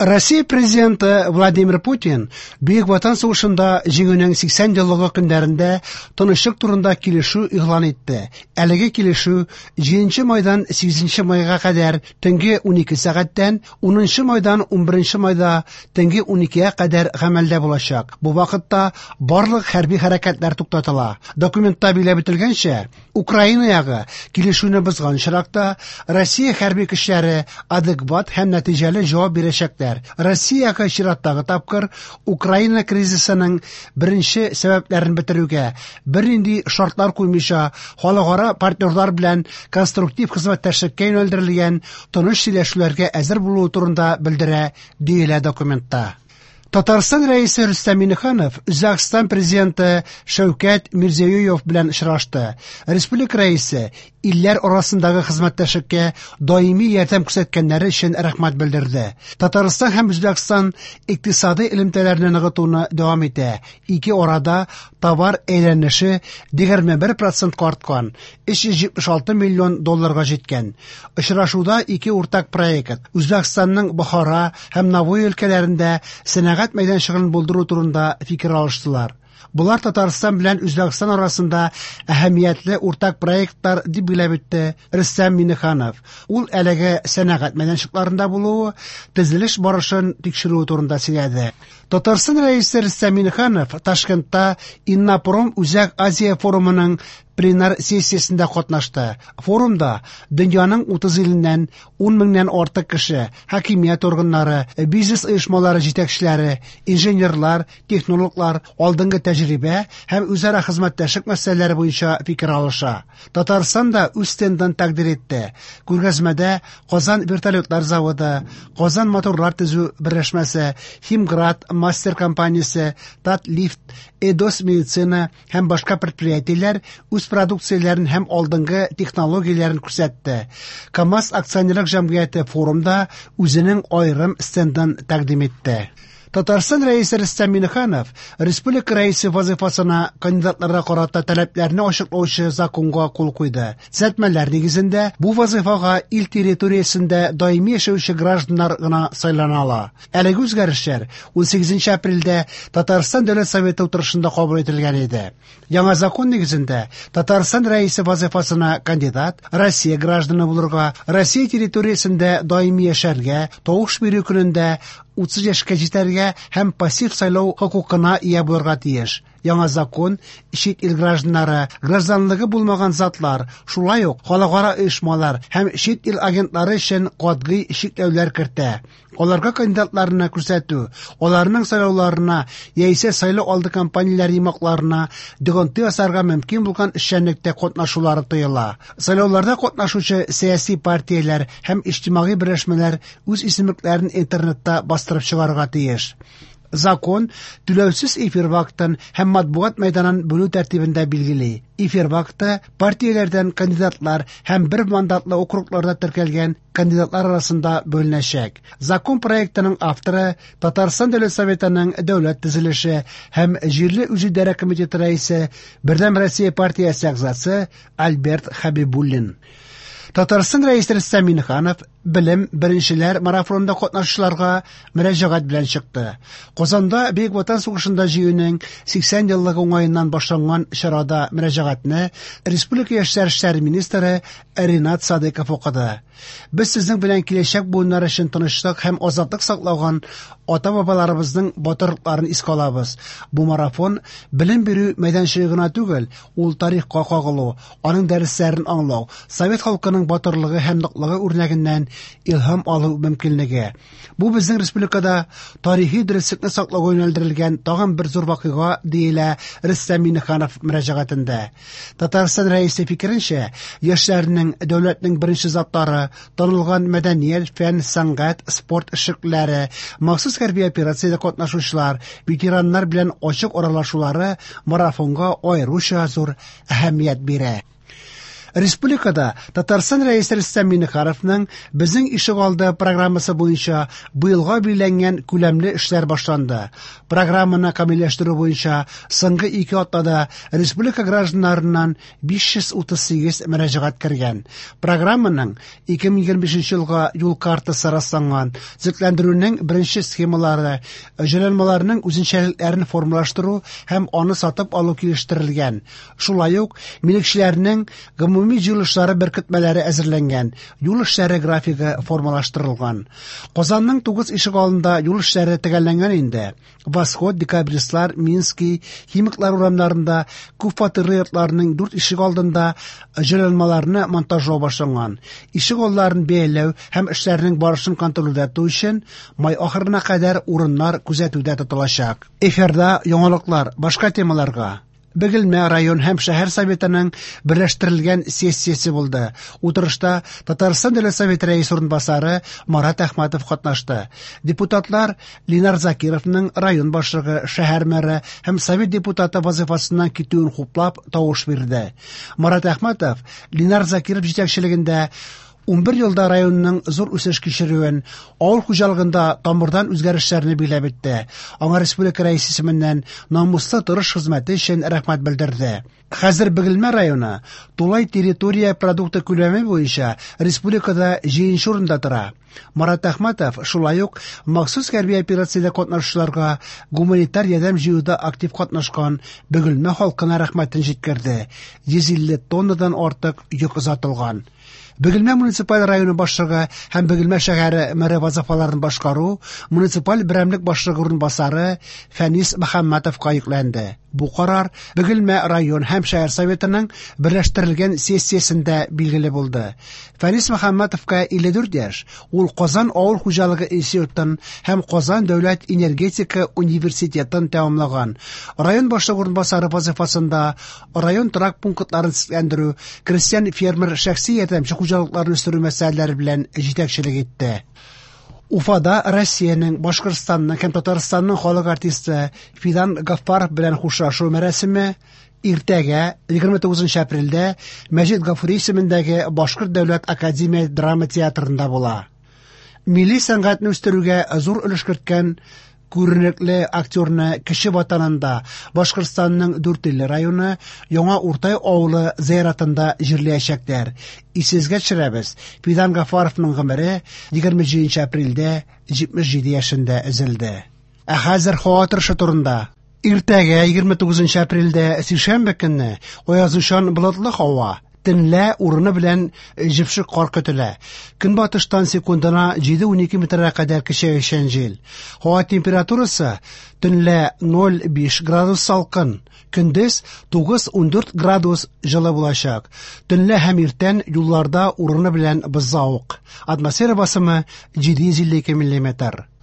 Россия президенты Владимир Путин Бөек Ватан сугышында җиңүнең 80 еллыгы көннәрендә тынычлык турында килешү игълан итте. Әлеге килешү 7 майдан 8 майга кадәр төнге 12 сәгатьтән 10 майдан 11 майда төнге 12-гә кадәр гамәлдә булачак. Бу вакытта барлык хәрби хәрәкәтләр туктатыла. Документта билгеләп үтелгәнчә, Украина ягы килешүне бозган очракта Россия хәрби көчләре адекват һәм нәтиҗәле җавап бирәчәкләр. Россия ягы чираттагы тапкыр Украина кризисының беренче сәбәпләрен бетерүгә, бернинди шартлар куймыйча, халыкара партнерлар белән конструктив хезмәттәшлеккә юнәлдерелгән тыныч сөйләшүләргә әзер булуы турында белдерә, диелә документта. Татарстан Рәисе Рөстәм Миңнеханов Үзбәкстан президенты Шәүкәт Мирзиёев белән очрашты. Республика рәисе илләр арасындагы хезмәттәшлеккә даими ярдәм күрсәткәннәре өчен рәхмәт белдерде. Татарстан һәм Үзбәкстан икътисадый элемтәләрне ныгытуны дәвам итә. Ике арада товар әйләнеше 21 процентка арткан, 376 миллион долларга җиткән. Очрашуда ике уртак проект Үзбәкстанның Бохара һәм Навои өлкәләрендә сәнәгать мәйданчыгын булдыру турында фикер алыштылар. Болар Татарстан белән Үзбәкстан арасында әһәмиятле уртак проектлар дип билгеләп үтте Рөстәм Миңнеханов. Ул әлеге сәнәгать мәйданчыкларында булуы, төзелеш барышын тикшерүе турында сөйләде. Татарстан Рәисе Рөстәм Миңнеханов Ташкентта Иннопром Үзәк Азия форумының пленар сессиясендә катнашты. Форумда дөньяның 30 иленнән 10 меңнән артык кеше, хакимият органнары, бизнес оешмалары җитәкчеләре, инженерлар, технологлар алдынгы тәҗрибә һәм үзара хезмәттәшлек мәсьәләләре буенча фикер алыша. Татарстан да үз стендын тәкъдир итте. Күргәзмәдә Казан вертолетлар заводы, Казан моторлар төзү берләшмәсе, Химград мастер компаниясе, Татлифт, Эдос медицина һәм башка предприятиеләр үз продукцияләрен һәм алдынгы технологияләрен күрсәтте. КАМАЗ акционерлык җәмгыяте форумда үзенең аерым стендын тәкъдим итте. Татарстан Рәисе Рөстәм Миңнеханов республика рәисе вазыйфасына кандидатларга карата таләпләрне ачыклаучы законга кул куйды. Төзәтмәләр нигезендә бу вазыйфага ил территориясендә даими яшәүче гражданнар гына сайлана ала. Әлеге үзгәрешләр 18 апрельдә Татарстан Дәүләт Советы утырышында кабул ителгән иде. Яңа закон нигезендә Татарстан Рәисе вазыйфасына кандидат Россия гражданы булырга, Россия территориясендә даими яшәргә, тавыш бирү көнендә 30 яшькә җитәргә һәм пассив сайлау хокукына ия булырга тиеш. Яңа закон чит ил гражданнары, гражданлыгы булмаган затлар, шулай ук халыкара оешмалар һәм чит ил агентлары өчен катгый чикләүләр кертә. Аларга кандидатларны күрсәтү, аларның сайлауларына яисә сайлау алды кампанияләре йомгакларына йогынты ясарга мөмкин булган эшчәнлектә катнашулары тыела. Сайлауларда катнашучы сәяси партияләр һәм иҗтимагый берләшмәләр үз исемлекләрен интернетта бастырып чыгарырга тиеш. Закон түләүсез эфир вакытын һәм матбугат мәйданын бүлү тәртибен дә билгели. Эфир вакыты партияләрдән кандидатлар һәм бер мандатлы округларда теркәлгән кандидатлар арасында бүленәчәк. Закон проектының авторы Татарстан Дәүләт Советының дәүләт төзелеше һәм җирле үзидарә комитеты рәисе, Бердәм Россия партиясе әгъзасы Альберт Хәбибуллин. Татарстан Рәисе Рөстәм Миңнеханов белем беренчеләр марафонында катнашучыларга мөрәҗәгать белән чыкты. Казанда Бөек Ватан сугышында җиңүнең 80 еллыгы уңаеннан башланган чарада мөрәҗәгатьне республика яшьләр эшләре министры Ринат Садыков укыды. Без сезнең белән киләчәк буыннар өчен тынычлык һәм азатлык саклаган ата-бабаларыбызның батырлыкларын искә алабыз. Бу марафон белем бирү мәйданчыгы гына түгел, ул тарихка кагылу, аның дәресләрен аңлау, совет халкының батырлыгы һәм ныклыгы үрнәгеннән илһам алу мөмкинлеге. Бу безнең республикада тарихи дөреслекне саклауга юнәлдерелгән тагын бер зур вакыйга, диелә Рөстәм Миңнеханов мөрәҗәгатендә. Татарстан Рәисе фикеренчә, яшьләрнең дәүләтнең беренче затлары, танылган мәдәният, фән, сәнгать, спорт эшлеклеләре, махсус хәрби операциядә катнашучылар, ветераннар белән ачык аралашулары марафонга аеруча зур әһәмият бирә. Республикада Татарстан Рәисе Рөстәм Миңнехановның Безнең ишегалды программасы буенча быелга билгеләнгән күләмле эшләр башланды. Программаны камилләштерү буенча соңгы 2 атнада республика гражданнарыннан 538 мөрәҗәгать кергән. Программаның 2025 елга юл картасы расланган. Төзекләндерүнең беренче схемалары, җайланмаларның үзенчәлекләрен формалаштыру һәм аны сатып алу килештерелгән. Шулай ук милекчеләрнең гомуми җыелышлары беркетмәләре әзерләнгән, юл эшләре графигы формалаштырылган. Казанның 9 ишегалдында юл эшләре төгәлләнгән инде. Восход, Декабристлар, Минский, Химиклар урамнарында күп фатирлы йортларның 4 ишегалдында җайланмаларны монтажлау башланган. Ишегалларын бәяләү һәм эшләрнең барышын контрольдә тоту өчен май ахырына кадәр урыннар күзәтүдә тотылачак. Эфирда яңалыклар, башка темаларга. Бөгелмә район һәм шәһәр советының берләштерелгән сессиясе булды. Утырышта Татарстан Дәүләт Советы рәисе урынбасары Марат Әхмәтов катнашты. Депутатлар Ленар Закировның район башлыгы, шәһәр мэры һәм совет депутаты вазифасыннан китүен хуплап тавыш бирде. Марат Әхмәтов Ленар Закиров җитәкчелегендә 11 елда районның зур үсеш кичерүен, авыл хуҗалыгында тамырдан үзгәрешләрне билгеләп үтте. Аңа республика рәисе исеменнән намуслы тырыш хезмәте өчен рәхмәт белдерде. Хәзер Бөгелмә районы тулай территория продукты күләме буенча республикада 7 урында тора. Марат Әхмәтов шулай ук махсус хәрби операциядә катнашучыларга гуманитар ярдәм җыюда актив катнашкан Бөгелмә халкына рәхмәтен җиткерде. 150 тоннадан артык йөк озатылган. Бөгелмә муниципаль районы башлыгы һәм Бөгелмә шәһәре мэры вазифаларын башкару муниципаль берәмлек башлыгы урынбасары Фәнис Мөхәммәтовка йөкләнде. Бу карар Бөгелмә район һәм шәһәр советының берләштерелгән сессиясендә билгеле булды. Фәнис Мөхәммәтовка 54 яшь. Ул Казан авыл хуҗалыгы институтын һәм Казан дәүләт энергетика университетын тәмамлаган. Район башлыгы урынбасары вазифасында район торак пунктларын төзекләндерү, крестьян фермер шәхси ярдәмче хуҗалыкларын үстерү мәсьәләләре белән җитәкчелек итте. Уфада Россиянең, Башкортстанның һәм Татарстанның халык артисты Фидан Гаффаров белән хушлашу мәрасиме иртәгә 29 апрельдә Мәҗит Гафури исемендәге Башкорт дәүләт академия драма театрында була. Милли сәнгатьне үстерүгә зур өлеш керткән күренекле актерны кече ватанында Башкортстанның Дүртөйле районы Яңа Уртай авылы зыяратында җирләячәкләр. Исегезгә төшерәбез, Фидан Гафаровның гомере 27 апрельдә 77 яшендә өзелде. Ә хәзер һава торышы турында. Иртәгә 29 апрельдә сишәмбе көнне аязучан болытлы һава. Төнлә урыны белән җепшек кар көтелә. Көнбатыштан секундына 7-12 метрга кадәр көчәючән җил. Һава температурасы төнлә 0,5 градус салкын, көндез 9-14 градус җылы булачак. Төнлә һәм иртән юлларда урыны белән бозлавык. Атмосфера басымы 752 миллиметр.